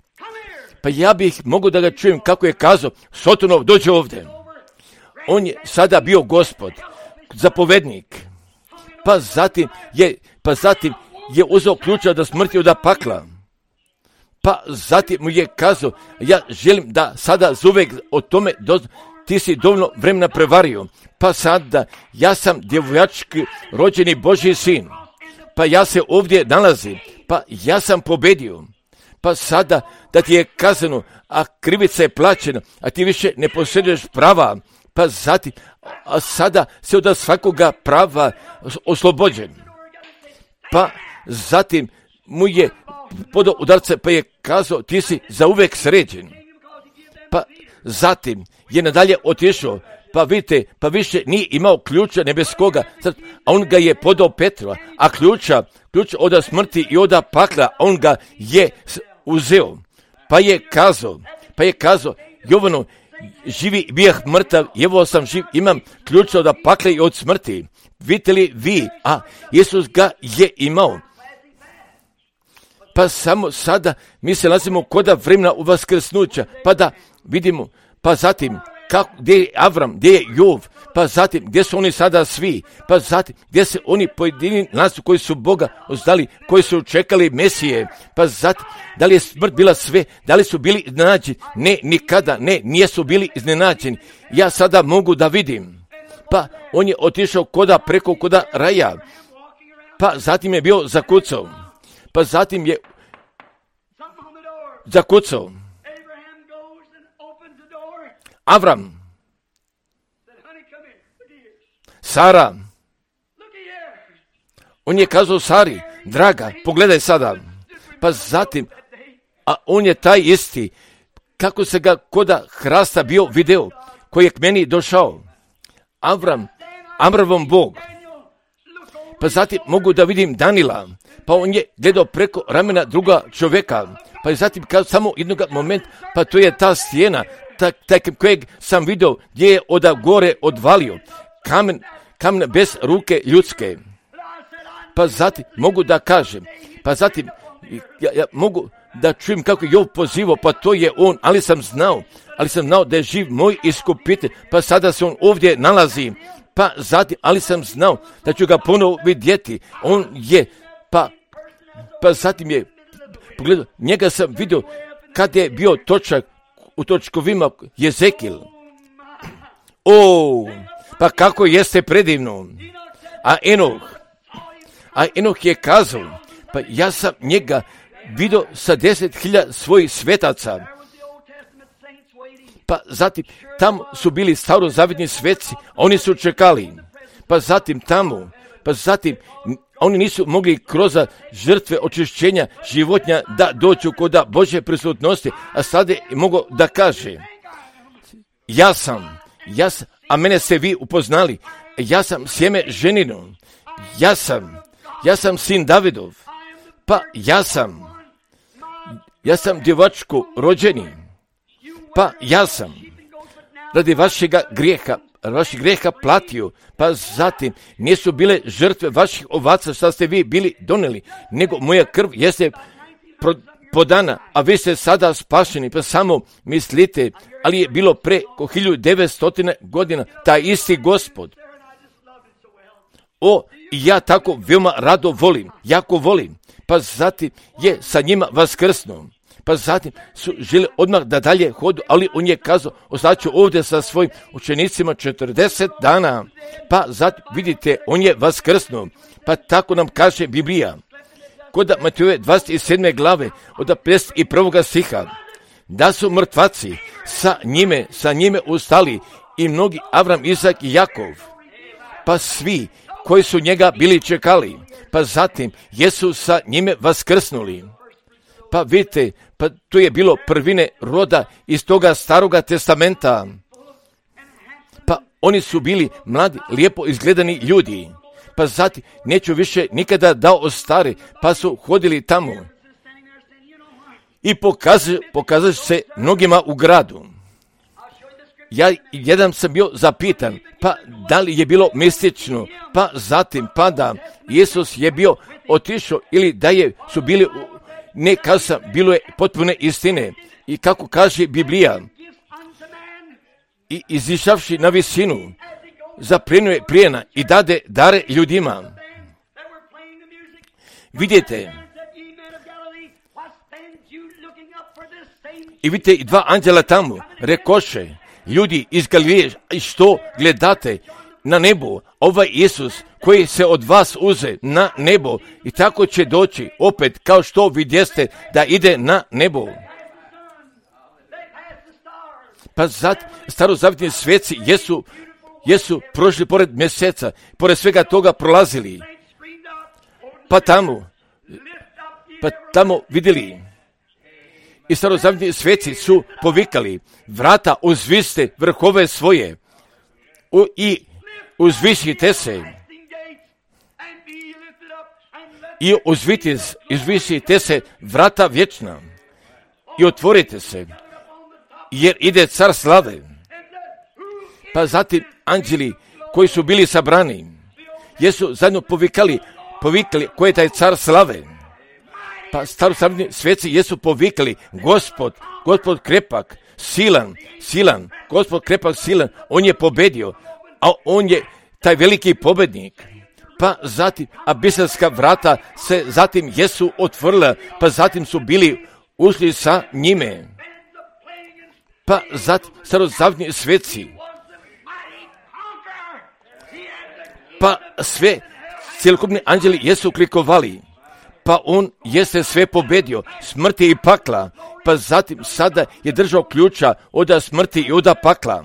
Pa ja bih mogu da ga čujem kako je kazao, Sotonov, dođe ovdje. On je sada bio gospod, zapovednik. Pa zatim je uzeo ključa od smrti od pakla. Pa zatim mu je kazao, ja želim da sada zuvek o tome ti si dovoljno vremena prevario. Pa sada, ja sam djevojački rođeni Božji sin. Pa ja se ovdje nalazim. Pa ja sam pobedio. Pa sada da ti je kazano, a krivica je plaćena, a ti više ne posjeduješ prava. Pa zatim, a sada se od svakoga prava oslobođen. Pa zatim mu je podao udarce, pa je kazao, ti si zauvek sređen. Pa zatim je nadalje otišao, pa vidite, pa više nije imao ključa nebeskoga, a on ga je podao Petrova, a ključa od smrti i od pakla, on ga je uzeo. Pa je kazao, Jovano, živi bijeh mrtav, evo sam živ, imam ključa od pakla i od smrti. Vidite li vi, a Isus ga je imao. Pa samo sada mi se nalazimo koda vremena u vaskrsnuća, pa da vidimo, pa zatim gdje je Avram, gdje je Jov, pa zatim gdje su oni sada svi, pa zatim gdje se oni pojedini nasu koji su Boga ozdali, koji su čekali Mesije, pa zatim da li je smrt bila sve, da li su bili iznenađeni, ne, nikada, ne, nisu bili iznenađeni. Ja sada mogu da vidim, pa on je otišao preko koda raja, pa zatim je bio zakucao. Pa zatim je zakucao. Avram, Sara, on je kazao Sari, draga, pogledaj sada. Pa zatim, a on je taj isti, kako se ga koda hrasta bio video, koji je k meni došao. Amravom Bog. Pa zatim mogu da vidim Danila, pa on je gledao preko ramena druga čovjeka, pa je zatim kazao samo jednog momenta, pa to je ta stijena, taj kojeg sam vidio gdje je od gore odvalio, kamen bez ruke ljudske. Pa zatim mogu da kažem, pa zatim ja mogu da čujem kako je Jov pozivao, pa to je on, ali sam znao da je živ moj iskupitelj, pa sada se on ovdje nalazi. Pa zatim, ali sam znao da ću ga ponovo vidjeti. On je, pa zatim je pogledao, njega sam vidio kad je bio točak u točkovima Jezekil. Pa kako jeste predivno. A Enoh je kazao, pa ja sam njega vidio sa 10.000 svojih svetaca. Pa zatim, tamo su bili starozavetni sveci, oni su čekali. Pa zatim oni nisu mogli kroz žrtve očišćenja životinja da dođu kod Božje prisutnosti, a sada je mogo da kaže, ja sam, a mene ste vi upoznali, ja sam sjeme ženino, ja sam sin Davidov, pa ja sam djevačko rođeni, pa ja sam radi vašega grijeha vaših greha platio, pa zatim nisu bile žrtve vaših ovaca što ste vi bili donijeli, nego moja krv jeste podana, a vi ste sada spašeni, pa samo mislite, ali je bilo preko 1900 godina taj isti Gospod. Ja tako veoma rado volim, jako volim, pa zatim je sa njima vaskrsnuo. Pa zatim su želi odmah da dalje hodu, ali on je kazao, ostaću ovdje sa svojim učenicima 40 dana. Pa zatim, vidite, on je vaskrsnuo. Pa tako nam kaže Biblija. Kod Matejove 27. glave, od 51. stiha, da su mrtvaci sa njime ustali i mnogi Avram, Izak i Jakov. Pa svi koji su njega bili čekali, pa zatim jesu sa njime vaskrsnuli. Pa vidite, pa to je bilo prvine roda iz toga Staroga testamenta. Pa oni su bili mladi, lijepo izgledani ljudi. Pa zatim neću više nikada da ostari, pa su hodili tamo. I pokazali se mnogima u gradu. Ja jedan sam bio zapitan, pa da li je bilo mistično, pa zatim pa da Isus je bio otišao ili da su bili, ne kazam, bilo je potpune istine. I kako kaže Biblija, i izišavši na visinu, zaplenuje plijena i dade dare ljudima. Vidite, i vidite i dva anđela tamo, rekoše, ljudi iz Galileje, što gledate na nebo, ovaj Isus koji se od vas uze na nebo i tako će doći opet kao što vidjeste da ide na nebo. Pa starozavjetni sveci jesu prošli pored mjeseca, pored svega toga prolazili, pa tamo vidjeli. I starozavjetni sveci su povikali, vrata uzviste vrhove svoje i uzvisite se. I uzvisite se vrata vječna i otvorite se, jer ide car slave. Pa zatim anđeli koji su bili sabrani, jesu zajedno povikali ko je taj car slave. Pa starozavjetni sveci jesu povikali, Gospod krepak, silan, Gospod krepak, silan, on je pobedio, a on je taj veliki pobednik. Pa zatim abiselska vrata se zatim jesu otvorila, pa zatim su bili ušli sa njime. Pa zatim starozavjetni sveci, pa sve cjelokupni anđeli jesu klikovali, pa on jeste sve pobedio, smrti i pakla, pa zatim sada je držao ključa od smrti i od pakla,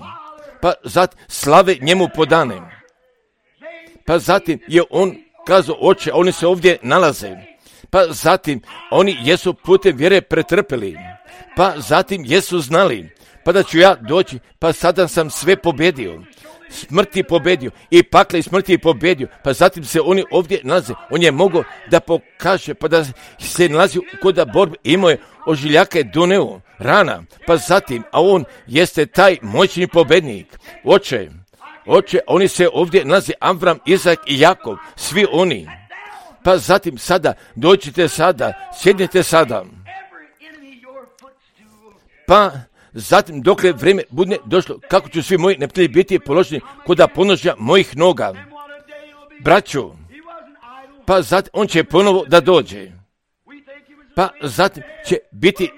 pa zatim slave njemu podane. Pa zatim je on kazao, oče, oni se ovdje nalaze, pa zatim oni jesu putem vjere pretrpeli, pa zatim jesu znali, pa da ću ja doći, pa sada sam sve pobedio. Smrti pobedio i pakla i smrti pobedio, pa zatim se oni ovdje nalaze. On je mogao da pokaže, pa da se nalazi kod borbe, imao je ožiljaka je doneo rana, pa zatim, a on jeste taj moćni pobednik. Oče, oni se ovdje nalaze, Avram, Izak i Jakov, svi oni. Pa zatim sada, dođite sada, sjednite sada. Pa zatim, dokle vrijeme bude došlo, kako ću svi moji neprijatelji biti položeni kod ponožja mojih noga. Braćo, pa zatim on će ponovo da dođe. Pa zatim će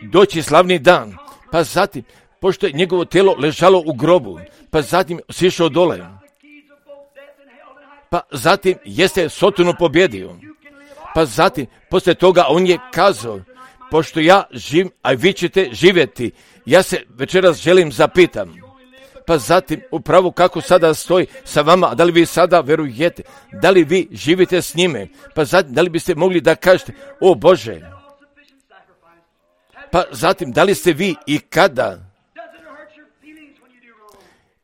doći slavni dan. Pa zatim, pošto je njegovo tijelo ležalo u grobu, pa zatim sišao dole. Pa zatim jeste Sotonu pobjedio. Pa zatim, poslije toga on je kazao, pošto ja živim, a vi ćete živjeti, ja se večeras želim zapitam. Pa zatim, upravo kako sada stoji sa vama, da li vi sada verujete, da li vi živite s njime, pa zatim, da li biste mogli da kažete, o Bože, pa zatim, da li ste vi i kada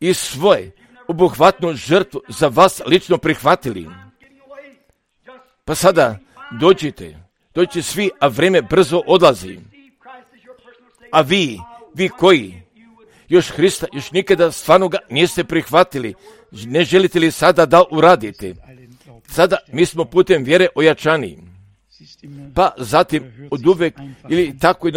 i svoje obuhvatnu žrtvu za vas lično prihvatili. Pa sada dođite svi, a vrijeme brzo odlazi. A vi koji još Hrista, još nikada stvarno ga niste prihvatili, ne želite li sada da uradite? Sada mi smo putem vjere ojačani. Pa zatim od uvek ili tako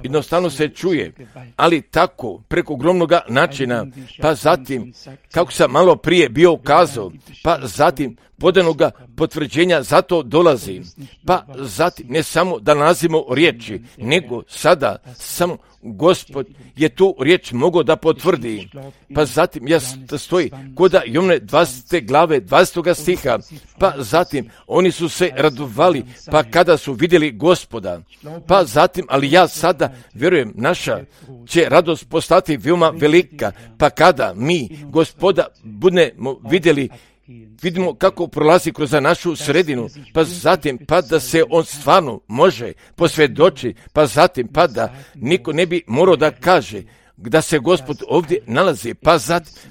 jednostavno se čuje, ali tako preko ogromnoga načina, pa zatim kako sam malo prije bio ukazao, pa zatim podanoga potvrđenja zato dolazi, pa zatim ne samo da nalazimo riječi, nego sada samo Gospod je tu riječ mogao da potvrdi. Pa zatim stoji koda Jovne 20. glave 20. stiha, pa zatim oni su se radovali, pa kada su vidjeli Gospoda, pa zatim, ali ja sada vjerujem, naša će radost postati veoma velika, pa kada mi Gospoda budemo vidimo kako prolazi kroz našu sredinu, pa zatim pa da se on stvarno može posvjedoči, pa zatim pa da niko ne bi morao da kaže da se Gospod ovdje nalazi,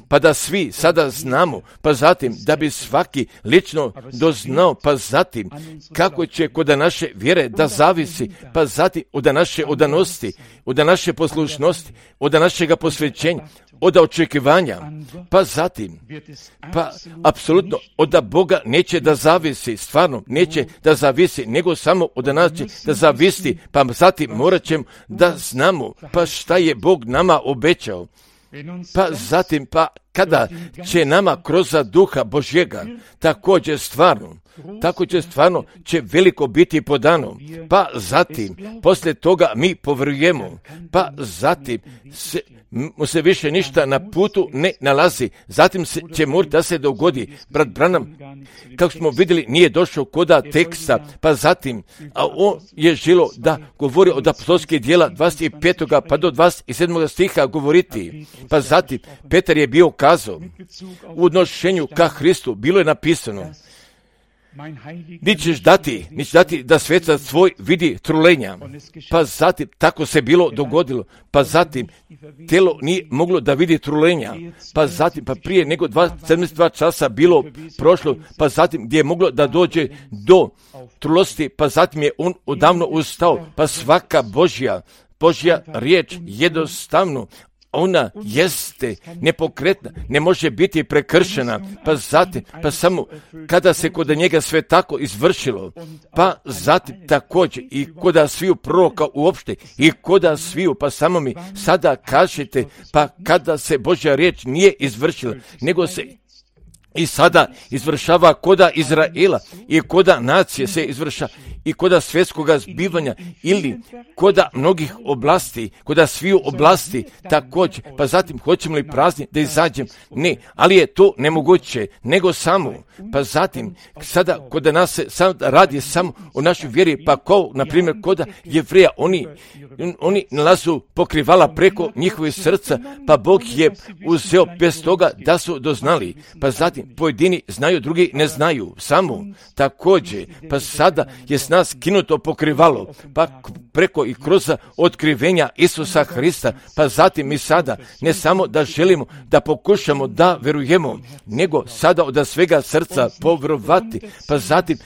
pa da svi sada znamo, pa zatim da bi svaki lično doznao, pa zatim kako će kod naše vjere da zavisi, pa zatim od naše odanosti, od naše poslušnosti, od našega posvećenja, od očekivanja, pa zatim, pa apsolutno od Boga neće da zavisi, stvarno neće da zavisi, nego samo od nas će da zavisi, pa zatim morat ćemo da znamo, pa šta je Bog nama obećao. Pa zatim, pa kada će nama kroz Duha Božjega također stvarno će veliko biti podano, pa zatim poslije toga mi povjerujemo, pa zatim se više ništa na putu ne nalazi, zatim će morati da se dogodi. Brat Branham, kako smo vidjeli, nije došao koda teksta, pa zatim, a on je želo da govori od apostolskih djela 25. pa do 27. stiha govoriti, pa zatim Petar je bio kazao u odnošenju ka Hristu, bilo je napisano, nićeš dati da svetac tvoj vidi trulenja, pa zatim tako se bilo dogodilo, pa zatim telo nije moglo da vidi trulenja, pa zatim pa prije nego 72 časa bilo prošlo, pa zatim gdje je moglo da dođe do trulosti, pa zatim je on odavno ustao, pa svaka Božja riječ jednostavno ona jeste nepokretna, ne može biti prekršena, pa zatim, pa samo kada se kod njega sve tako izvršilo, pa zatim također i kod sviju proroka uopšte i kod sviju, pa samo mi sada kažete, pa kada se Božja riječ nije izvršila, nego se i sada izvršava koda Izraela i koda nacije se izvršava i koda svjetskoga zbivanja ili koda mnogih oblasti, koda sviju oblasti također, pa zatim hoćemo li prazni da izađem? Ne, ali je to nemoguće, nego samo, pa zatim sada koda nas se radi samo o našoj vjeri, pa kao, na primjer, koda Jevreja, oni nalazu pokrivala preko njihovih srca, pa Bog je uzeo bez toga da su doznali, pa zatim pojedini znaju, drugi ne znaju, samo također, pa sada je s nas kinuto pokrivalo, pa preko i kroz otkrivenja Isusa Hrista, pa zatim mi sada ne samo da želimo da pokušamo da verujemo, nego sada od svega srca povjerovati, pa zatim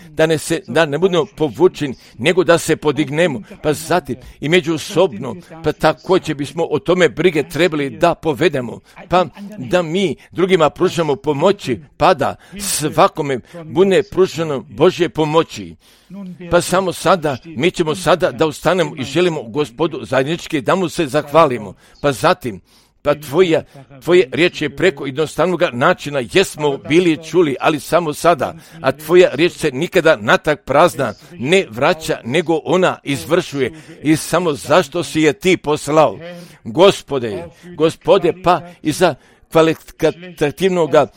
da ne budemo povučeni, nego da se podignemo, pa zatim i međusobno, pa također bismo o tome brige trebali da povedemo, pa da mi drugima pružamo pomoći, pa da svakome bude pruženo Božje pomoći. Pa samo sada, mi ćemo sada da ustanemo i želimo Gospodu zajednički da mu se zahvalimo. Pa zatim, pa tvoje riječ je preko jednostavnog načina, jesmo bili čuli, ali samo sada, a tvoja riječ se nikada natrag prazna ne vraća, nego ona izvršuje. I samo zašto si je ti poslao? Gospode, pa i za kvalitativnoga,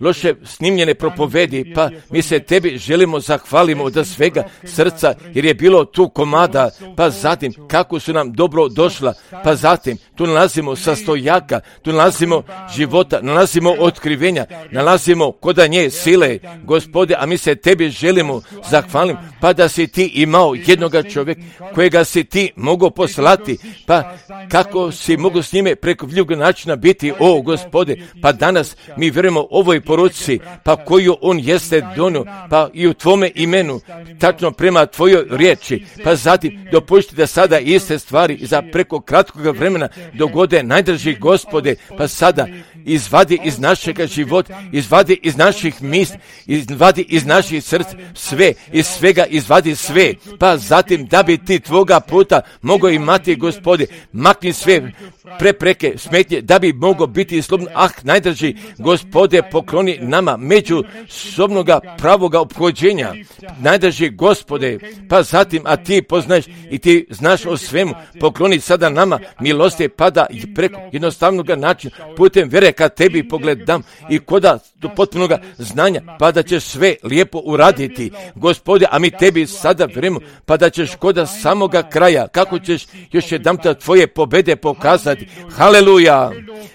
loše snimljene propovedi, pa mi se tebi želimo zahvalimo od svega srca, jer je bilo tu komada, pa zatim kako su nam dobro došla, pa zatim tu nalazimo sastojaka, tu nalazimo života, nalazimo otkrivenja, nalazimo koda nje sile, Gospode, a mi se tebi želimo zahvalimo, pa da si ti imao jednoga čovjeka kojega si ti mogao poslati, pa kako si mogao s njime preko vljivog načina biti o Gospode, pa danas mi vjerujemo ovoj poruci, pa koju on jeste donio, pa i u tvome imenu, tačno prema tvojoj riječi, pa zatim dopušti da sada iste stvari za preko kratkog vremena dogode, najdraži Gospode, pa sada izvadi iz našega života, izvadi iz naših misli, izvadi iz naših srca sve, iz svega izvadi sve, pa zatim da bi ti tvoga puta mogao imati, Gospode, makni sve prepreke, smetnje, da bi mogao biti slobodan. Najdraži Gospode, pokloni nama međusobnoga pravoga ophođenja, najdraži Gospode, pa zatim, a ti poznaješ i ti znaš o svemu, pokloni sada nama milosti, pa da preko jednostavnog načina putem vjere kad tebi pogledam i koda do potpunoga znanja, pa da ćeš sve lijepo uraditi, Gospode, a mi tebi sada vjerujemo, pa da ćeš koda samoga kraja, kako ćeš još jedanputa tvoje pobjede pokazati. Haleluja!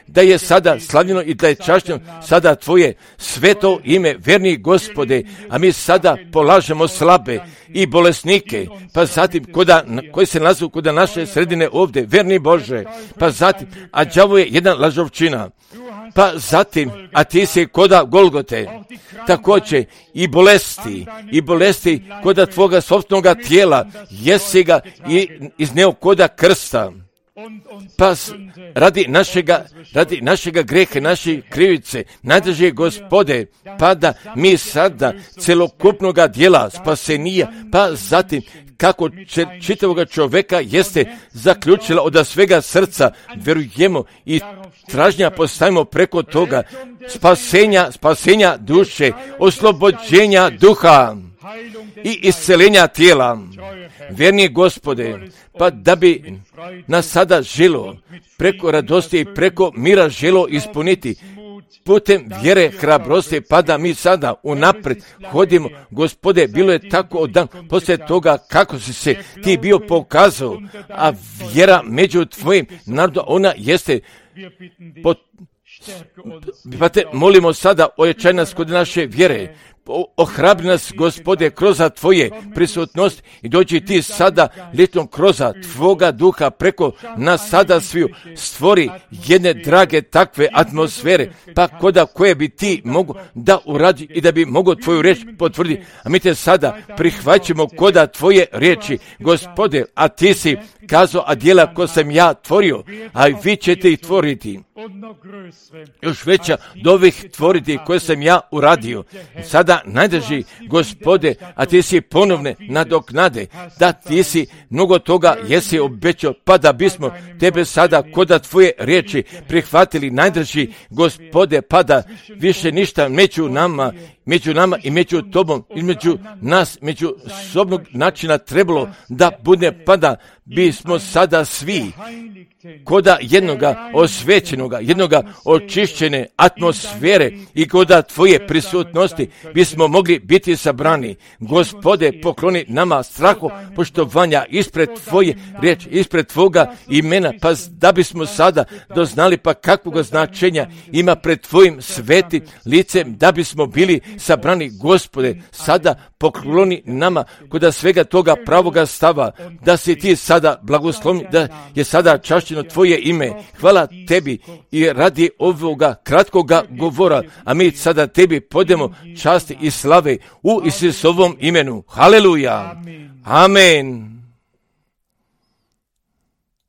Da je sada slavljeno i da je čašćeno sada tvoje sveto ime, verni Gospode, a mi sada polažemo slabe i bolesnike, pa zatim koji se nalazu kod naše sredine ovdje, verni Bože, pa zatim, a đavo je jedan lažovčina, pa zatim, a ti si koda Golgote, također i bolesti koda tvoga sopstvenoga tijela, jesi ga i izneo koda krsta. Pa radi našega greha, naše krivice, najdraži Gospode, pa da mi sada celokupnoga dijela spasenija, pa zatim kako čitavoga čovjeka jeste zaključila od svega srca, vjerujemo i tražnja postavimo preko toga spasenja duše, oslobođenja duha i isceljenja tijela. Vjerni Gospode, pa da bi nas sada želo preko radosti i preko mira želo ispuniti putem vjere, hrabrosti, pa da mi sada unaprijed hodimo. Gospode, bilo je tako od dan poslije toga kako si se ti bio pokazao, a vjera među tvojim narodom, ona jeste pa te molimo sada ojačaj nas kod naše vjere, ohrabri nas, Gospode, kroz tvoje prisutnost i dođi ti sada litom kroz tvoga duha preko nas sada sviju stvori jedne drage takve atmosfere, pa koda koje bi ti mogu da uradi i da bi mogo tvoju riječ potvrditi. A mi te sada prihvaćamo koda tvoje riječi, Gospode, a ti si kazao, a djela ko sam ja tvorio, a vi ćete ih tvoriti. Još veća do ovih tvoriti koje sam ja uradio. Sada najdraži Gospode, a ti si ponovne nadoknade, da ti si mnogo toga jesi obećao, pa da bismo tebe sada koda tvoje riječi prihvatili, najdraži Gospode, pa da više ništa među nama i među tobom, između nas, među sobnog načina trebalo da bude, pa da bismo sada svi koda jednoga osvećenoga, jednoga očišćene atmosfere i koda tvoje prisutnosti bismo mogli biti sabrani. Gospode, pokloni nama strahu poštovanja ispred tvoje riječi, ispred tvoga imena, pa da bismo sada doznali pa kakvog značenja ima pred tvojim svetim licem, da bismo bili sabrani. Gospode, sada pokloni nama koda svega toga pravoga stava, da si ti sada blagoslovni, da je sada čašćeno tvoje ime. Hvala tebi i radi ovoga kratkoga govora, a mi sada tebi podemo časti i slave u Isusovom imenu. Haleluja! Amen!